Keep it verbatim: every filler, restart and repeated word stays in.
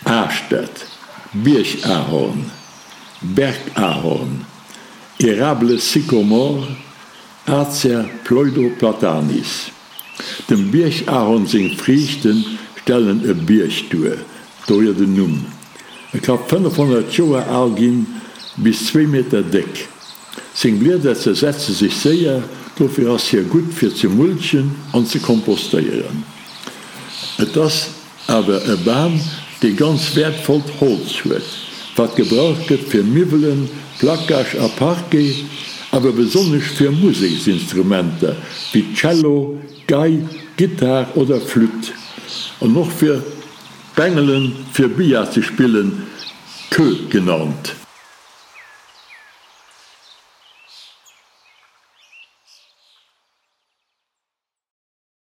Aaschtert, Biergahorn, Bergahorn, Érable sycomore, Acer pseudoplatanis. Dem Biergahorn seng Friichte stellen e Bierg duer, dohier den Numm. E ka fënnefhonnert Joer al ginn, bis zwee Meter déck. Seng Blieder zersetze sech séier, dofir ass hie gutt fir ze mulchen an ze kompostéieren. Et ass awer e Bam, dee ganz wäertvollt Holz huet, wat gebraucht gëtt fir Miwwelen, Placage a Parquet, awer besonnesch fir Museksinstrumenter wéi Cello, Gei, Gittar oder Flütt an och fir Bengelen, fir Billard ze spillen, Queue genannt.